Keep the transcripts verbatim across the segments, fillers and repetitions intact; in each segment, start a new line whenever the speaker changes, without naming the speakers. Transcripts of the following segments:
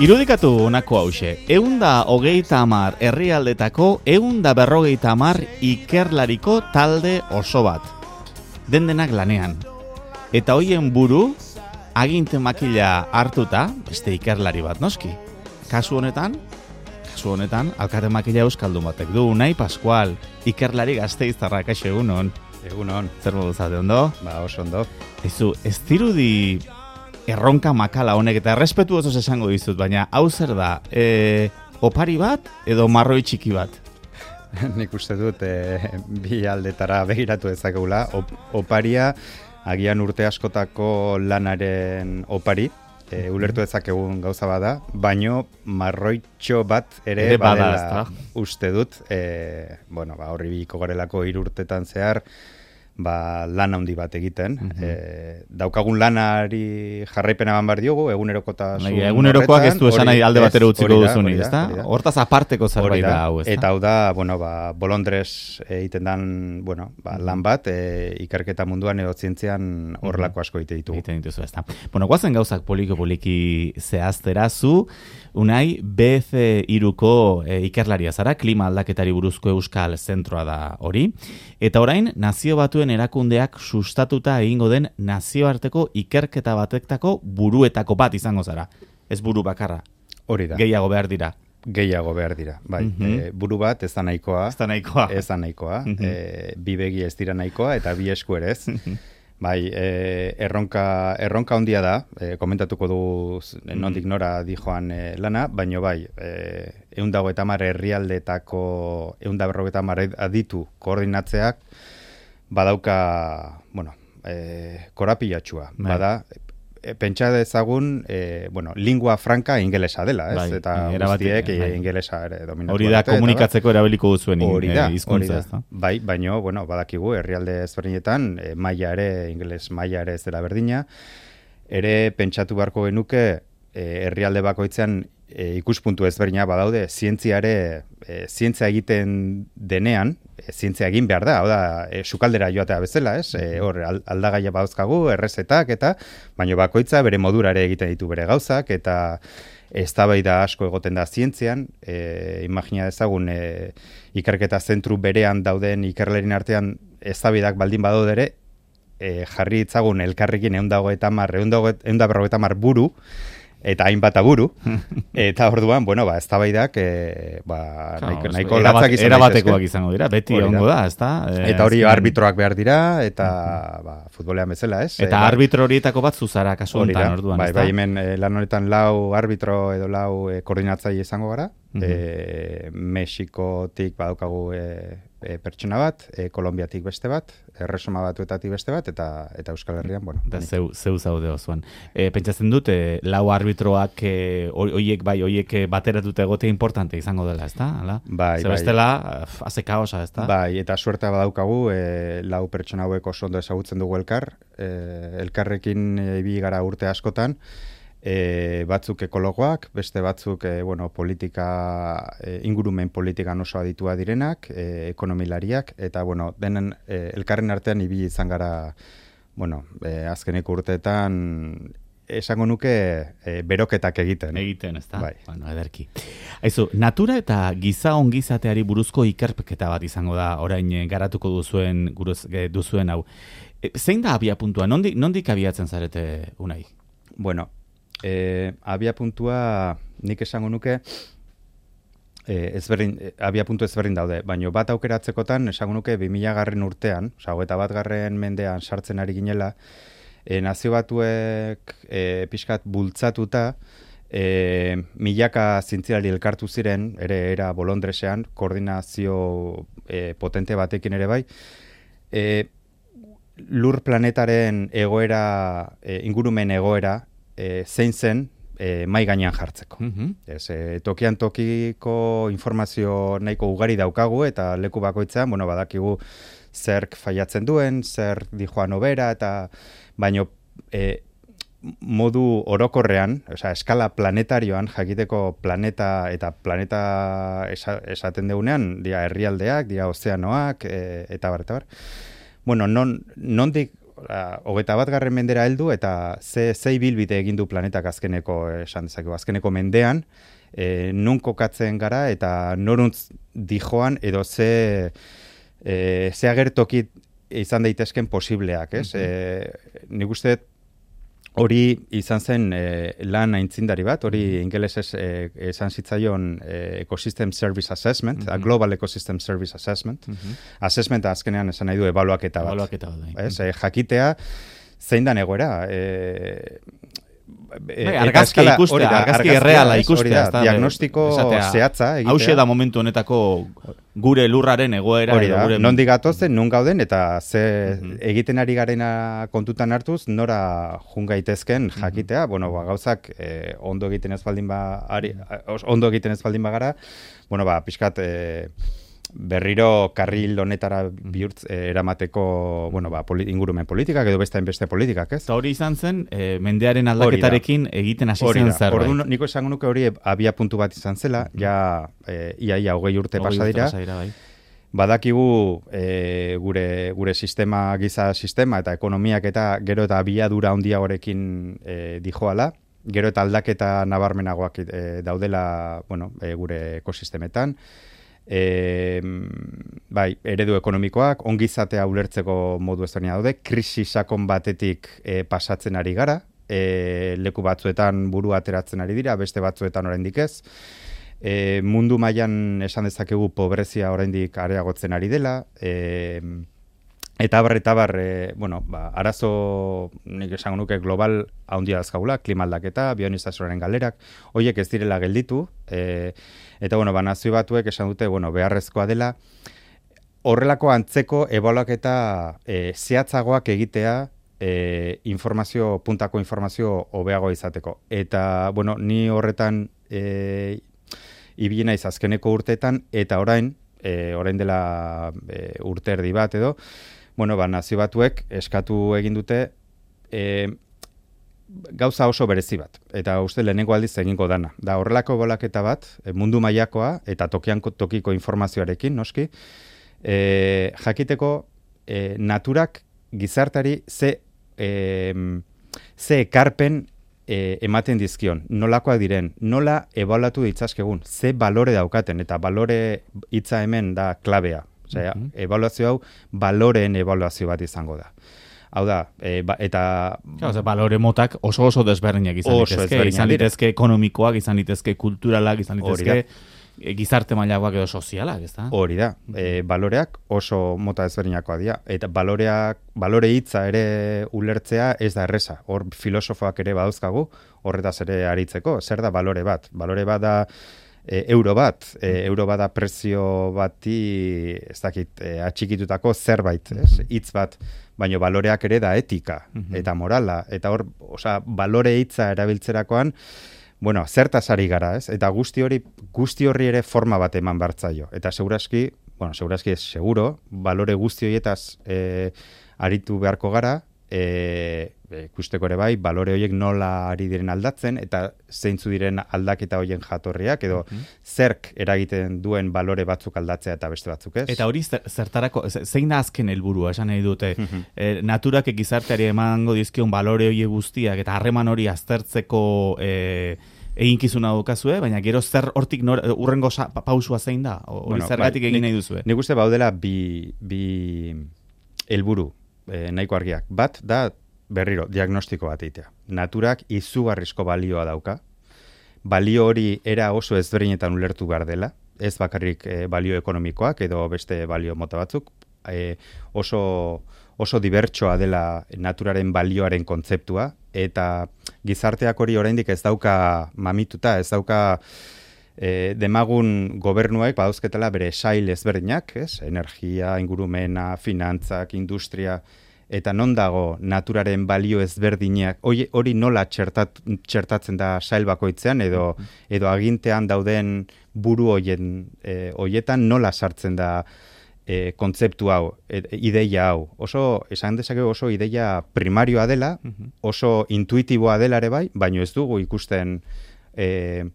Irudikatu honako hause, eunda hogeita hamar herrialdetako eunda berrogeita hamar ikerlariko talde oso bat. Den-denak lanean. Eta hoien buru, aginte makila hartuta, beste ikerlari bat noski. Kasu honetan, kasu honetan, alkate makila euskaldun batek du, Unai Pascual, ikerlari Gasteiztarra, kaixo egunon.
Egunon.
Zer modu zate ondo?
Ba, oso ondo.
Ezu, ez dirudi erronka makala honek, eta errespetu oso esango dizut, baina hau zer da, e, opari bat edo marroi txiki bat?
Nik uste dut e, bi aldetara begiratu dezakegula. Op, oparia, agian urte askotako lanaren opari, e, ulertu dezakegun gauza bada, baino marroitxo bat ere, ere badela uste dut, e, bueno, ba, horri biko garelako hiru urtetan zehar, ba, lan handi bat egiten. Mm-hmm. e, daukagun lanari jarraipena ban bar diogu, egunerokotasun horretan.
Egunerokoak ez du esan nahi alde batera utziko duzunik, ezta? Hortaz aparteko zerbait da hau, ezta?
Eta hau da, bueno, ba, bolondrez egiten dan, bueno, ba, lan bat, e, ikerketa munduan edo zientzian horrelako asko egite ditugu.
Egiten dituzu, ezta? Bueno, guazen gauzak poliko-poliki zehaztera zu, Unai, B F hiruko e, ikerlaria zara, klima aldaketari buruzko euskal zentroa da hori, eta orain nazio batuen erakundeak sustatuta egingo den nazioarteko ikerketa batektako buruetako bat izango zara. Ez buru bakarra.
Hori da.
Gehiago behar dira.
Gehiago behar dira, bai.
Mm-hmm.
e, buru bat ez da nahikoa.
Ez da nahikoa.
Ez da nahikoa.
Mm-hmm.
e, bi begi ez dira nahikoa eta bi esku ere ez. Bai, e, erronka, erronka handia da, e, komentatuko du nondik nora dijoan e, lana, baino bai, e, eunda hogeita hamar herrialdetako eunda berrogeita hamar aditu koordinatzeak, badauka, bueno, e, korapilatxua, bai. Bada, e, pentsa dezagun, e, bueno, lingua franca ingelesa dela, ez? Bai, eta guztiek bai. Ingelesa ere dominatu.
Hori da, komunikatzeko bai. Erabiliko duzuen hizkuntza,
e, bai, baino, bueno, badakigu, herrialde ezberdinetan, e, maila ere, ingeles maila ere ez dela berdina, ere pentsatu beharko genuke, e, herrialde bakoitzean e, ikuspuntu ezberdina badaude, zientziare, e, zientzia egiten denean, e, zientzia egin behar da, hau da, e, sukaldera joatea bezala, ez? E, hor, aldagaia badauzkagu, errezetak, eta, baino bakoitza bere modura ere egiten ditu bere gauzak, eta eztabaida asko egoten da zientzian, e, imagina dezagun, e, ikerketa zentru berean dauden ikerlerin artean eztabaidak baldin badaude ere, e, jarri ditzagun elkarrekin eunda hogeita hamar, eunda berrogeita hamar buru, eta hainbat aburu, eta orduan, bueno, ba, eztabaidak, e, ba, nahiko, nahiko latzak izan
erabatekoak izango dira, beti ongo da, ezta?
E, eta hori arbitroak behar dira, eta uh-huh. ba, futbolean bezala, ez?
Eta e, arbitro horietako bat zuzara, kasu honetan, orduan,
bai, bai, hemen e, lan honetan lau arbitro edo lau e, koordinatzaile izango gara, uh-huh. e, Mexikotik badaukagu e, e, pertsona bat, e, Kolombiatik beste bat, Erresuma Batuetatik beste bat, eta eta Euskal Herrian, bueno.
Da zeu, zeu zaude osoan. E, pentsatzen dut, e, lau arbitroak, e, oiek bai, oiek bateratute egotea importante izango dela, ezta? Hala?
Bai,
Zer bestela, haze kaosa, ezta?
Bai, eta suertea badaukagu, e, lau pertsona hauek oso ondo ezagutzen dugu elkar, e, elkarrekin ibili gara urte askotan, E, batzuk ekologoak, beste batzuk e, bueno, politika, e, ingurumen politikan oso aditua direnak, e, ekonomilariak, eta bueno, denen e, elkarren artean ibili izan gara, bueno, e, azkeneko urteetan esango nuke e, beroketak egiten.
Egiten, ezta?
Bai.
Bueno, ederki. Aizu, natura eta giza ongizateari buruzko ikerketa bat izango da, orain garatuko duzuen, guruz, duzuen hau. E, zein da abia puntua? Nondik, nondik abiatzen zarete, Unai?
Bueno, E, abia puntua nik esango nuke e, ezberdin, e, abia puntu ezberdin daude, baina bat aukeratzekotan esango nuke bi mila garren urtean, oza, eta bat garren mendean sartzen ari ginela, e, nazio batuek e, pixkat bultzatuta e, milaka zientzialari elkartu ziren, ere era bolondresean, koordinazio e, potente batekin ere bai, e, lur planetaren egoera, e, ingurumen egoera, E, zein zen e, mai gainean jartzeko. Uh-huh. Ez, e, tokian tokiko informazio nahiko ugari daukagu eta leku bakoitzean, bueno, badakigu zerk faiatzen duen, zer dijoan obera, eta baino e, modu orokorrean, osea, eskala planetarioan, jakiteko planeta eta planeta esa, esaten deunean, dia herrialdeak, dia ozeanoak, e, eta bar, eta bar. Bueno, non, nondik hogeita bat garren mendera heldu eta ze, ze ibilbide egin du planetak azkeneko, esan dezakegu, azkeneko mendean, e, nun kokatzen gara eta noruntz dijoan edo ze, e, ze agertoki izan daitezken posibleak, ez? Mm-hmm. e, nik uste hori izan zen e, lan aintzindari bat, hori ingelesez e, esan zitzaion e, Ecosystem Service Assessment, mm-hmm. a Global Ecosystem Service Assessment. Mm-hmm. Assessment azkenean esan nahi du ebaluaketa bat.
Ebaluaketa bat,
ez? E, jakitea zein da egoera. E,
Bai, argazki ikustea, argazki erreala ikustea.
Diagnostiko zehatza egitea.
Hauxe da momentu honetako gure lurraren egoera.
Hori da, gure... nondi gatozen, nun gauden, eta ze mm-hmm. egiten ari garena kontutan hartuz, nora jungaitezken jakitea, mm-hmm. bueno, ba, gauzak eh, ondo egiten ez baldin ba, ari, ondo egiten ez baldin bagara, bueno, ba, pixkat... Eh, berriro karril honetara bihurtz eh, eramateko, bueno, ba, poli, ingurumen politikak edo beste beste politikak, ez?
Eta hori izan zen, eh, mendearen aldaketarekin egiten hasi zen zerbait.
Orduan, niko esango nuke hori abia puntu bat izan zela, mm-hmm. ja eh, iaia hogei urte pasadira. Bai. Badakigu eh, gure, gure sistema, giza sistema eta ekonomiak eta gero eta abiadura handiagorekin eh, dijoala, gero eta aldaketa nabarmenagoak eh, daudela, bueno, eh, gure ekosistemetan. E, bai, eredu ekonomikoak, ongizatea ulertzeko modu ezberdina daude, krisi sakon batetik e, pasatzen ari gara, e, leku batzuetan buru ateratzen ari dira, beste batzuetan oraindik ez. E, mundu mailan esan dezakegu pobrezia oraindik areagotzen ari dela, e, eta bar, eta bar, e, bueno, ba, arazo, nik esango nuke global handia dazkagula, klima aldaketa, bionizazioaren galerak, horiek ez direla gelditu, e, eta, bueno, ba, nazio batuek esan dute, bueno, beharrezkoa dela, horrelako antzeko ebaluaketa e, zehatzagoak egitea e, informazio, puntako informazio hobeago izateko. Eta, bueno, ni horretan e, ibili naiz azkeneko urteetan, eta orain, e, orain dela e, urte erdi bat edo, bueno, ba, nazio batuek eskatu egin dute e, gauza oso berezi bat, eta uste lehenengo aldiz egingo dana. Da horrelako bolaketa bat, mundu mailakoa eta tokian tokiko informazioarekin, noski, e, jakiteko e, naturak gizartari ze, e, ze ekarpen e, ematen dizkion, nolakoak diren, nola ebaluatu ditzazkegun, ze balore daukaten, eta balore hitza hemen da klabea. Osea, mm-hmm. ebaluazio hau baloreen ebaluazio bat izango da. Hau da, e, ba, eta...
Claro, balore motak oso oso desberdinak izan litezke, izan litezke ekonomikoak, izan litezke kulturalak, izan litezke gizarte mailakoak edo sozialak, ez da?
Hori da, e, baloreak oso mota desberdinakoa dira, eta baloreak, balore hitza ere ulertzea ez da erreza, hor filosofoak ere badauzkagu, horretaz ere aritzeko, zer da balore bat? Balore bat da e, euro bat, e, euro bat da prezio bati, ez dakit, e, atxikitutako zerbait, ez? Hitz bat, baina baloreak ere da etika mm-hmm. eta morala, eta hor, osea, balore hitza erabiltzerakoan, bueno, zertaz ari gara, ez? Eta guzti hori, guzti horri ere forma bat eman bartzaio. Eta segurazki, bueno, segurazki ez seguro, balore guzti horietaz e, aritu beharko gara, e, ikusteko ere bai, balore horiek nola ari diren aldatzen, eta zeintzu diren aldaketa horien jatorriak, edo mm-hmm. zerk eragiten duen balore batzuk aldatzea eta beste batzuk ez.
Eta hori zertarako, zein da azken helburua esan nahi dute, mm-hmm. e, naturak gizarteari emango dizkion balore horiek guztiak, eta harreman hori aztertzeko e, eginkizuna daukazue, baina gero zer hortik nor, urrengo sa, pausua zein da? Hori bueno, zergatik bai, egin nahi duzue?
Nik uste baudela bi, bi helburu e, nahiko argiak. Bat da, berriro, diagnostiko bat egitea. Naturak izugarrizko balioa dauka. Balio hori era oso ezberdinetan ulertu behar dela. Ez bakarrik e, balio ekonomikoak edo beste balio mota batzuk. E, oso, oso dibertsoa dela naturaren balioaren kontzeptua. Eta gizarteak hori oraindik ez dauka mamituta, ez dauka e, demagun gobernuek badauzketela bere sail ezberdinak, ez? Energia, ingurumena, finantzak, industria... Eta non dago naturaren balio ezberdinak, hori, hori nola txertat, txertatzen da sail bakoitzean, edo, edo agintean dauden buru hoien, e, hoietan nola sartzen da e, kontzeptu hau, e, ideia hau. Oso, esan dezakegu oso ideia primarioa dela, oso intuitiboa dela ere bai, baino ez dugu ikusten e,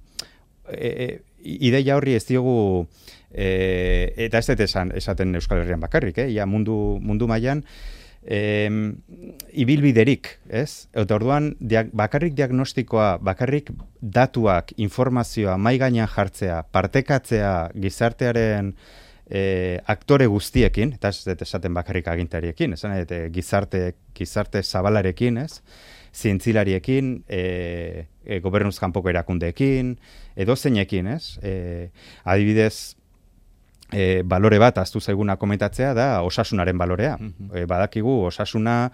e, ideia horri ez diogu, e, eta ez dut esan, esaten Euskal Herrian bakarrik, eh? Ja, mundu, mundu mailan, E, ibilbiderik, ez? Eta orduan, diag, bakarrik diagnostikoa, bakarrik datuak, informazioa, mai gainean jartzea, partekatzea gizartearen e, aktore guztiekin, eta ez dut esaten bakarrik agintariekin, esan nahi, et, gizarte, gizarte zabalarekin, ez? Zientzilariekin, e, e, gobernuz kanpoko erakundeekin, edo zeinekin, ez? E, adibidez, E, balore bat aztu zaiguna komentatzea da osasunaren balorea. Mm-hmm. E, badakigu osasuna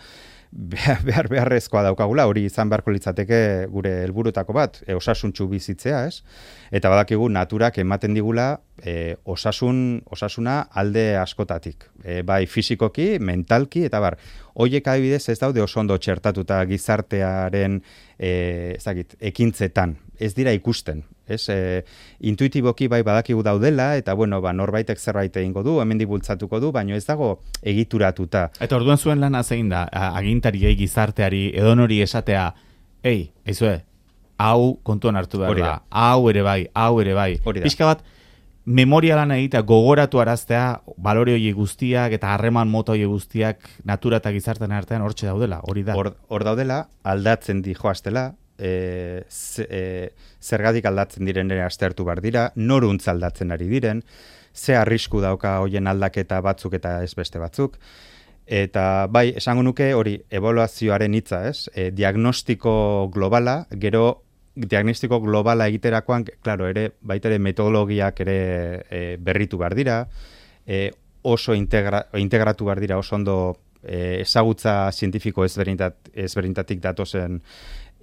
behar beharrezkoa daukagula, hori izan beharko litzateke gure helburutako bat, e, osasuntsu bizitzea, ez? Eta badakigu naturak ematen digula e, osasun, osasuna alde askotatik. E, bai fisikoki, mentalki, eta bar, hoiek adibidez ez daude oso ondo txertatuta gizartearen e, ezagit, ekintzetan. Ez dira ikusten. Ez, e, intuitiboki bai badakigu daudela, eta bueno, ba, norbaitek zerbait egingo du, hemendik bultzatuko du, baina ez dago egituratuta.
Eta orduan zuen lana zein da, agintariei, gizarteari, edonori esatea, ei, eizue, hau kontuan hartu behar da, hau ere bai, hau ere bai. Pixka bat, memoria lan egitea, gogoratu araztea, balore hori guztiak eta harreman mota hori guztiak natura eta gizartean artean hortxe daudela, hori da.
Hor, hor daudela, aldatzen di joaztela, E, z, e, zergatik aldatzen diren ere aztertu behar dira, noruntz aldatzen ari diren, ze arrisku dauka hoien aldaketa batzuk eta ez beste batzuk, eta bai, esango nuke hori ebaluazioaren hitza, ez? E, diagnostiko globala, gero diagnostiko globala egiterakoan, claro, ere, baita ere metodologiak ere e, berritu behar dira, e, oso integra, integratu behar dira, oso ondo e, ezagutza zientifiko ezberdintat, ezberdintatik datozen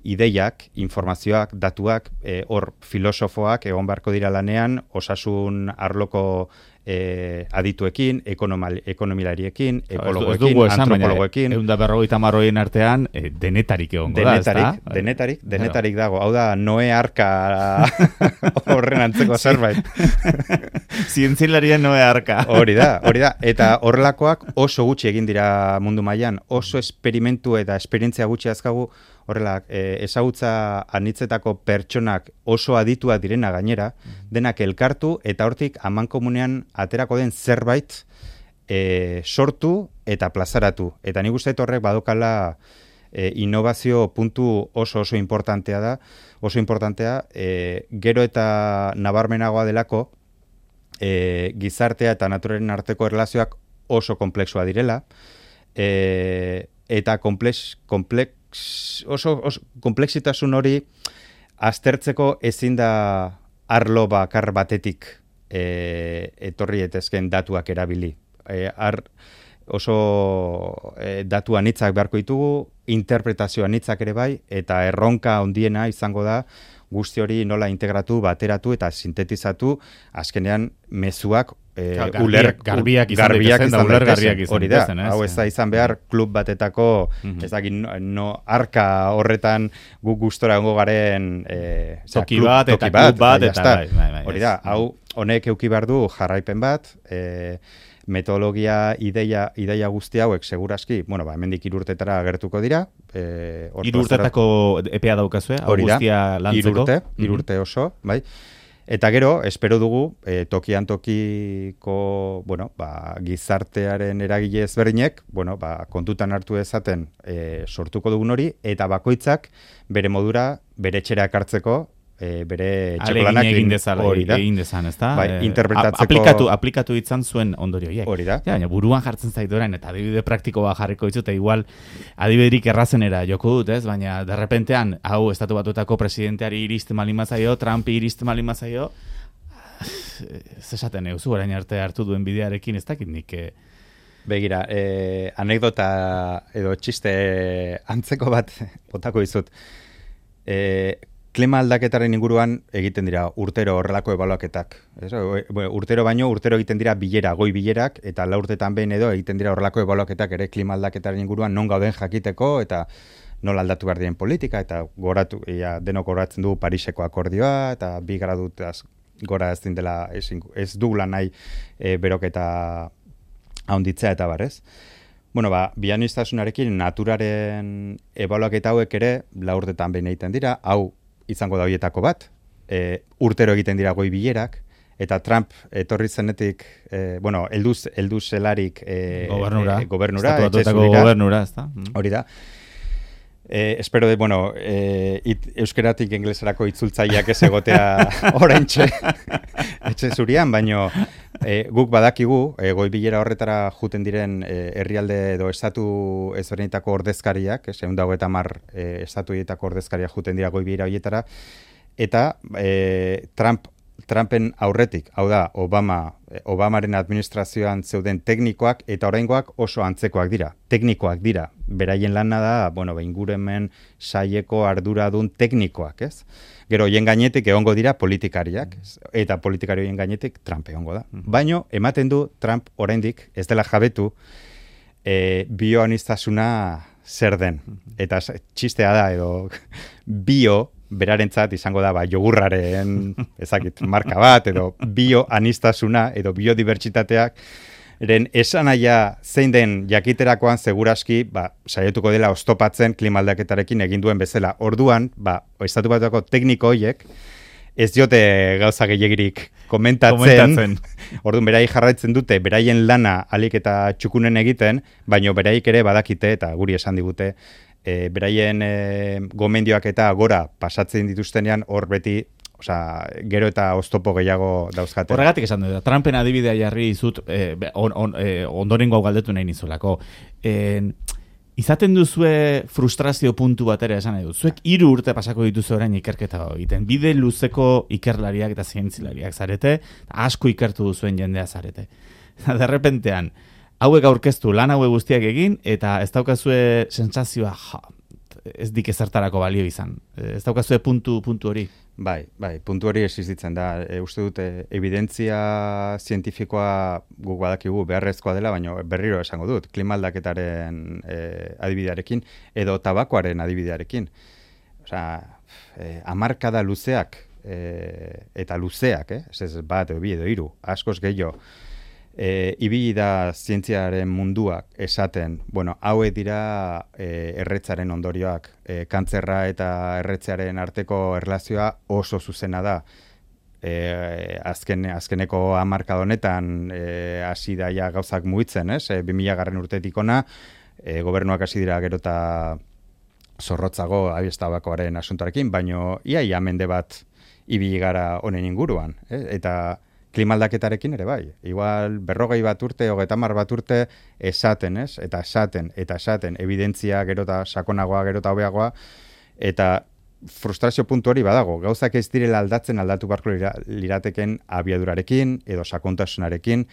ideiak, informazioak, datuak, hor e, filosofoak egon beharko dira lanean, osasun arloko e, adituekin, ekonomilariekin, ekologoekin, antropologoekin.
Egun da berrogeita marroien artean, e, denetarik egongo da,
ezta? Denetarik, denetarik, denetarik dago. Hau da, Noe arka horren antzeko zerbait.
Zientzilarien Noe arka.
Hori da, hori da. Eta horrelakoak oso gutxi egin dira mundu mailan, oso esperimentu eta esperientzia gutxi azkagu, horrela, e, ezagutza anitzetako pertsonak oso aditua direna gainera, denak elkartu eta hortik amankomunean aterako den zerbait e, sortu eta plazaratu. Eta nik uste horrek badokala e, innovazio puntu oso oso importantea da, oso importantea, e, gero eta nabarmenagoa delako, e, gizartea eta naturaren arteko erlazioak oso komplexua direla, e, eta komplex, komplex oso, oso komplexitasun hori aztertzeko ezin da arlo bakar batetik e, etorri etezken datuak erabili. E, ar, oso e, datu anitzak beharko ditugu, interpretazio anitzak ere bai, eta erronka handiena izango da guzti hori nola integratu, bateratu eta sintetizatu azkenean mezuak e,
garbiak,
uler,
garbiak izan
garbiak
izan,
izan
garbiak izan
hori da, hau ez da izan behar klub batetako,
mm-hmm.
ez dakit, no, no arka horretan gu gustora gongo garen e,
toki bat, klub, eta klub bat, eta bai, bai, bai,
hori da, hau honek euki behar du jarraipen bat, e, metodologia, ideia, ideia guzti hauek segurazki, bueno, ba, hemendik irurtetara agertuko dira. E,
irurtetako epea daukazue, hau guztia lantzeko?
Irurte, irurte oso, bai. Eta gero, espero dugu, e, tokian tokiko, bueno, ba, gizartearen eragile ezberdinek, bueno, ba, kontutan hartu ezaten e, sortuko dugun hori, eta bakoitzak bere modura, bere etxera ekartzeko, E, bere txekolanak
egin dezala, egin dezan, ez da?
Bai, interpretatzeko...
Aplikatu, aplikatu ditzan zuen ondorio hiek.
Hori da.
Ja, baina buruan jartzen zait orain, eta adibide praktiko bat jarriko ditut, eta igual adibiderik errazenera joko dut, ez? Baina derrepentean, hau, estatu batuetako presidenteari iristen malimazaio, Trumpi iristen malimazaio, ez esaten euzu, orain arte hartu duen bidearekin, ez dakit nik... Eh...
Begira, eh, anekdota edo txiste antzeko bat botako dizut. Eh, Klima aldaketaren inguruan egiten dira urtero horrelako ebaluaketak. Ez? Urtero baino, urtero egiten dira bilera, goi bilerak, eta la urtetan behin edo egiten dira horrelako ebaluaketak ere klima aldaketaren inguruan non gauden jakiteko, eta nola aldatu behar diren politika, eta goratu, ia, denok goratzen du Pariseko akordioa, eta bi gradutaz gora ez dela, ez, ez dugula nahi e, beroketa haunditzea eta barrez. Bueno, ba, bianistasunarekin naturaren ebaluaketa hauek ere la urtetan behin egiten dira, hau izango da horietako bat, e, urtero egiten dira goi bilerak, eta Trump etorri zenetik, e, bueno, elduz, elduz zelarik e,
gobernura,
e, gobernura,
estatu batuetako gobernura, ez da?
Hori da. Eh, espero de, bueno, eh, it, euskeratik inglesarako itzultzaileak ez egotea oraintxe etxe zurian, baino eh, guk badakigu, eh, goi bilera horretara juten diren eh, herrialde edo estatu ezberdinetako ordezkariak, ehun eta hogeita hamar eh, estatuetako ordezkariak juten dira goi bilera horietara, eta eh, Trump Trumpen aurretik, hau da, Obama, Obamaren administrazioan zeuden teknikoak eta oraingoak oso antzekoak dira. Teknikoak dira. Beraien lana da, bueno, ingurumen saieko arduradun teknikoak, ez? Gero, hien gainetik egongo dira politikariak, ez? Eta politikarioen gainetik Trump egongo da. Baino, ematen du Trump oraindik ez dela jabetu e, bioaniztasuna zer den. Eta txistea da, edo bio, berarentzat izango da ba, jogurraren ezakit, marka bat, edo bioanistasuna, edo biodibertsitateak, eren esanaia zein den jakiterakoan seguraski ba, saietuko dela oztopatzen klimaldaketarekin egin duen bezala. Orduan, ba, estatu batuako tekniko horiek, ez diote gauza gehiagirik komentatzen, komentatzen. Orduan, berai jarraitzen dute, beraien lana alik eta txukunen egiten, baino beraik ere badakite, eta guri esan digute, E, beraien e, gomendioak eta gora pasatzen dituztenean hor beti, osea, gero eta oztopo gehiago dauzkate.
Horregatik esan dut, Trumpen adibidea jarri izut e, on, on, e, ondorengo hau galdetu nahi nizulako. E, izaten duzue frustrazio puntu bat ere esan nahi dut. Zuek hiru urte pasako dituzu orain ikerketa egiten. Bide luzeko ikerlariak eta zientzilariak zarete, asko ikertu duzuen jendea zarete. Derrepentean, hauek aurkeztu, lan hauek guztiak egin, eta ez daukazue sentsazioa, ja, ez dik ezertarako balio izan. Ez daukazue puntu, puntu hori.
Bai, bai, puntu hori existitzen da. E, uste dute, evidentzia zientifikoa guk badakigu beharrezkoa dela, baina berriro esango dut, klimaldaketaren e, adibidearekin, edo tabakoaren adibidearekin. Osea, e, hamarkada luzeak, e, eta luzeak, eh? Ez bat, edo bi, edo hiru, askoz gehiago, E, ibili da zientziaren munduak esaten, bueno, haue dira e, erretzaren ondorioak, e, kantzerra eta erretzearen arteko erlazioa oso zuzena da. E, azken, azkeneko hamarkada honetan e, hasi daia gauzak mugitzen, ez? E, bi mila garren urtetik ona, e, gobernuak hasi dira gero eta zorrotzago abiestabakoaren asuntoarekin, baino ia ia mende bat ibili gara honen inguruan, eh? Eta klimaldaketarekin ere bai. Igual berrogei bat urte, hogeita hamar bat urte esaten, ez? Eta esaten, eta esaten, evidentzia gero eta sakonagoa, gero eta hobeagoa, eta frustrazio puntu hori badago. Gauzak ez direla aldatzen aldatu barko lirateken abiadurarekin, edo sakontasunarekin.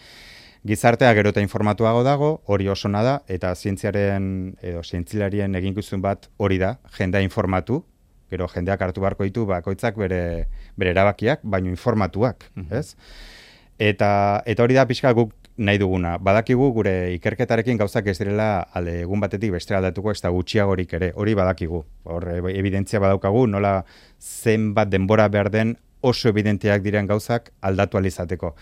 Gizartea gero eta informatuago dago, hori oso nada, eta zientziaren, edo zientzilarien eginkizun bat hori da, jendea informatu, gero jendeak hartu beharko ditu bakoitzak bere, bere erabakiak, baino informatuak, mm-hmm. ez? Eta, eta hori da pixka guk nahi duguna. Badakigu gure ikerketarekin gauzak ez direla alde egun batetik bestera aldatuko ez da gutxiagorik ere, hori badakigu. Hor, evidentzia badaukagu, nola zenbat denbora behar den oso evidenteak diren gauzak aldatu alizateko.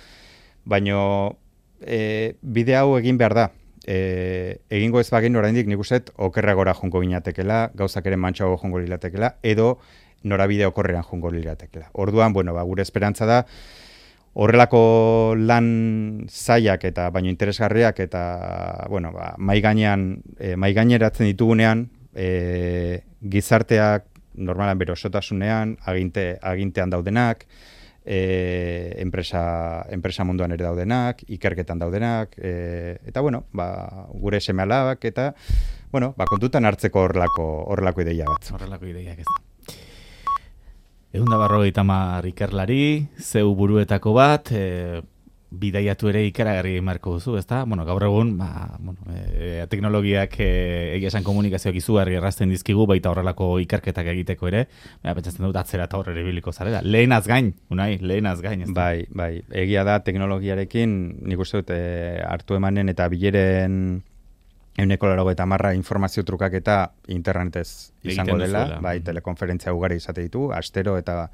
Baino e, bide hau egin behar da. E, egingo ez bagin oraindik nik uste okerragora jongo ginatekela, gauzak ere mantxago jongo liratekela, edo norabide okorrean jongo liratekela. Orduan, bueno, ba, gure esperantza da, horrelako lan zaiak eta baino interesgarriak eta, bueno, ba, maigainean, e, maigaineratzen ditugunean, e, gizarteak normalan bere osotasunean, aginte, agintean daudenak, E, enpresa, enpresa munduan ere daudenak, ikerketan daudenak, e, eta bueno, ba, gure seme-alabak eta bueno, ba, kontutan hartzeko horrelako, horrelako ideia bat.
Horrelako ideiak ez da. Ehun eta berrogeita hamar ikerlari, zeu buruetako bat, e, bidaiatu ere ikaragarri marko duzu, ezta? Bueno, gaur egun, ba, bueno, e, teknologiak e, egia esan komunikazioak izugarri errazten dizkigu, baita horrelako ikerketak egiteko ere, baina pentsatzen dut atzera eta horre biliko zarela. Lehenaz gain, unai, lehenaz gain, ezta?
Bai, bai, egia da teknologiarekin, nik uste dut, e, hartu emanen eta bileren ehuneko laurogeita hamarra informazio trukak eta internetez izango dela, duzuela. Bai, telekonferentzia ugari izate ditu, astero eta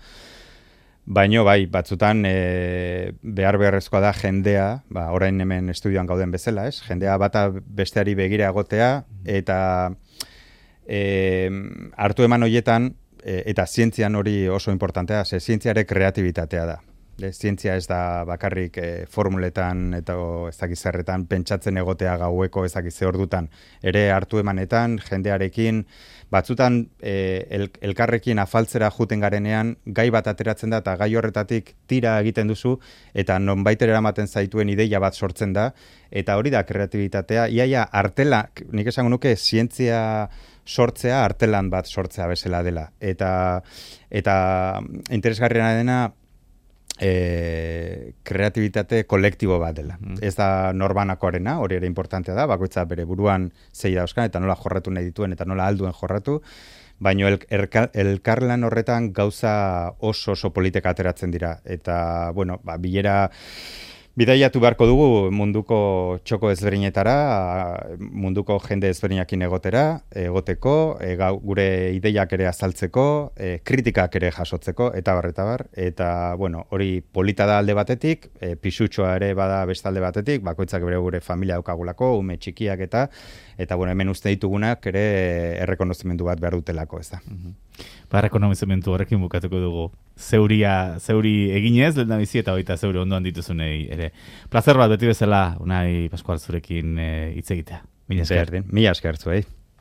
baino, bai, batzutan e, behar beharrezkoa da jendea, ba, orain hemen estudioan gauden bezala, ez? Jendea bata besteari begira egotea, eta e, hartu eman horietan, e, eta zientzian hori oso importantea, ze zientziare kreatibitatea da. De, zientzia ez da bakarrik e, formuletan eta o, ez dakiz zerretan pentsatzen egotea gaueko ez dakiz ze ordutan. Ere hartu emanetan, jendearekin, batzutan e, el, elkarrekin afaltzera juten garenean, gai bat ateratzen da eta gai horretatik tira egiten duzu eta nonbaiter eramaten zaituen ideia bat sortzen da, eta hori da kreatibitatea. Iaia artela, nik esango nuke zientzia sortzea artelan bat sortzea bezala dela. Eta, eta interesgarriena dena, E, kreatibitate kolektibo bat dela. Mm. Ez da norbanakoarena, hori ere importantea da, bakoitza bere buruan zei dauzkan, eta nola jorratu nahi dituen, eta nola alduen jorratu, baina el, elkarlan horretan gauza oso oso politika ateratzen dira. Eta, bueno, ba, bilera bidaiatu beharko dugu munduko txoko ezberdinetara, munduko jende ezberdinakin egotera, egoteko, e, gau, gure ideiak ere azaltzeko, e, kritikak ere jasotzeko, eta bar, eta bar. Eta, bueno, hori polita da alde batetik, e, pisutxoa ere bada beste alde batetik, bakoitzak bere gure familia daukagulako, ume txikiak eta, eta, bueno, hemen uste ditugunak ere errekonozimendu bat behar dutelako, ez da.
Mm-hmm. Ba, errekonozimendu horrekin bukatuko dugu. Zeuria, zeuri eginez, lehen da bizi eta hoita zeuri ondoan dituzunei ere. Plazer bat beti bezala, Unai Pascual zurekin hitz egitea. Mila esker.
Mila esker zuei.